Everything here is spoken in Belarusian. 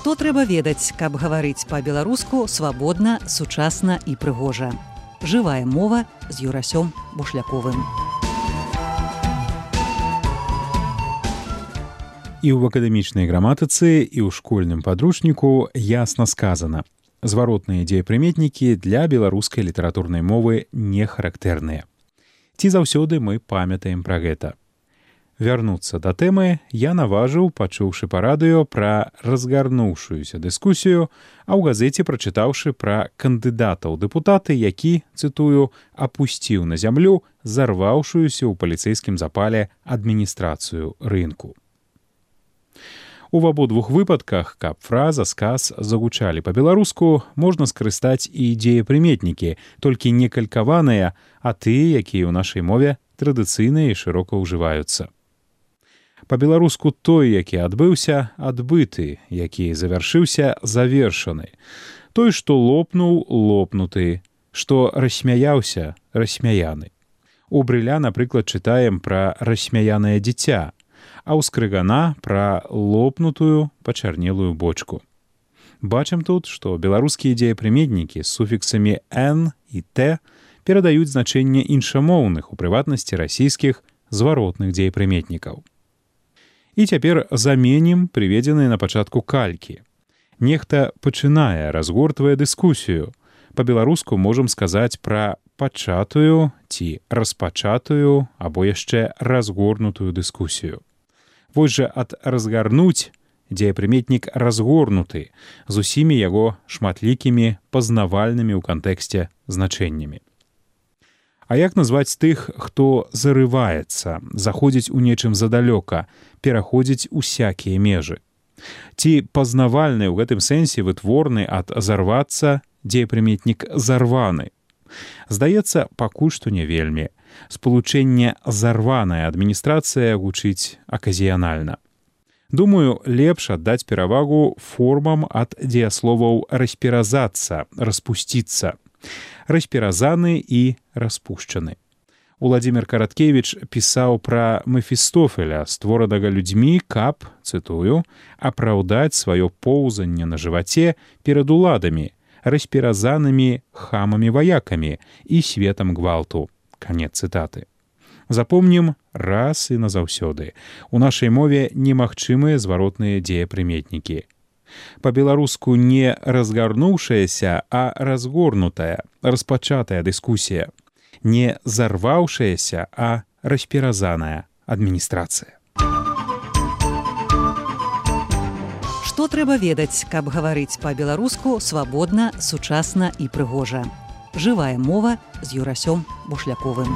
Што трэба ведаць, каб гаварыць па-беларуску свабодна, сучасна і прыгожа. Жывая мова з Юрасём Бушляковым. І ў акадэмічнай граматыцы, і ў школьным падручніку ясна сказана. Зваротныя дзеепрыметнікі для беларускай літаратурнай мовы не характэрныя. Ці заўсёды мы памятаем пра гэта. Вярнуцца да тэмы я наважыў, пачуўшы па радыё пра разгарнуўшуюся дыскусію, а ў газеце прачытаўшы пра кандыдата ў дэпутаты, які, цытую, «апусціў на зямлю зарваўшуюся ў паліцэйскім запале адміністрацыю рынку». У абодвух выпадках, каб фраза, сказ загучалі па-беларуску, можна скарыстаць і дзеепрыметнікі, толькі не калькаваныя, а тыя, якія ў нашай мове традыцыйна і шырока ўжываюцца. Па-беларуску той, які адбыўся, адбыты, які завяршыўся, завершаны. Той, што лопнуў, лопнуты, што рассмяяўся, рассмяяны. У Брыля, напрыклад, чытаем пра рассмяянае дзіця, а ў Скрыгана пра лопнутую пачарнелую бочку. Бачым тут, што беларускія дзеепрыметнікі з суфіксамі «н» і «т» перадаюць значэнне іншамоўных, у прыватнасці расійскіх, зваротных дзеепрыметнікаў. І цяпер заменім прыведзеныя на пачатку калькі. Нехта пачынае, разгортвае дыскусію. Па-беларуску можам сказаць пра пачатую ці распачатую або яшчэ разгорнутую дыскусію. Вось жа ад разгарнуць дзеепрыметнік разгорнуты з усімі яго шматлікімі пазнавальнымі ў кантэксце значэннямі. А як назваць тых, хто зарываецца, заходзіць у нечым задалёка, пераходзіць усякія межы? Ці пазнавальны ў гэтым сэнсе вытворны ад зарвацца дзеепрыметнік зарваны? Здаецца, пакуль што не вельмі. Спалучэнне «зарваная адміністрацыя» гучыць аказіянальна. Думаю, лепш аддаць перавагу формам ад дзеясловаў «распіразацца», «распусціцца», «распіразаны» і «распушчаны». Уладзімір Караткевіч пісаў пра Мефістофеля, створанага людзьмі, каб, цытую, «апраўдаць сваё поўзанне на жываце перад уладамі, распіразанымі хамамі-ваякамі і светам гвалту». Канец цытаты. Запомнім раз і назаўсёды. У нашай мове немагчымыя зваротныя дзеепрыметнікі. Па-беларуску не разгарнуўшаяся, а разгорнутая, распачатая дыскусія. Не зарваўшаяся, а распіразаная адміністрацыя. Што трэба ведаць, каб гаварыць па-беларуску свабодна, сучасна і прыгожа. Жывая мова з Юрасём Бушляковым.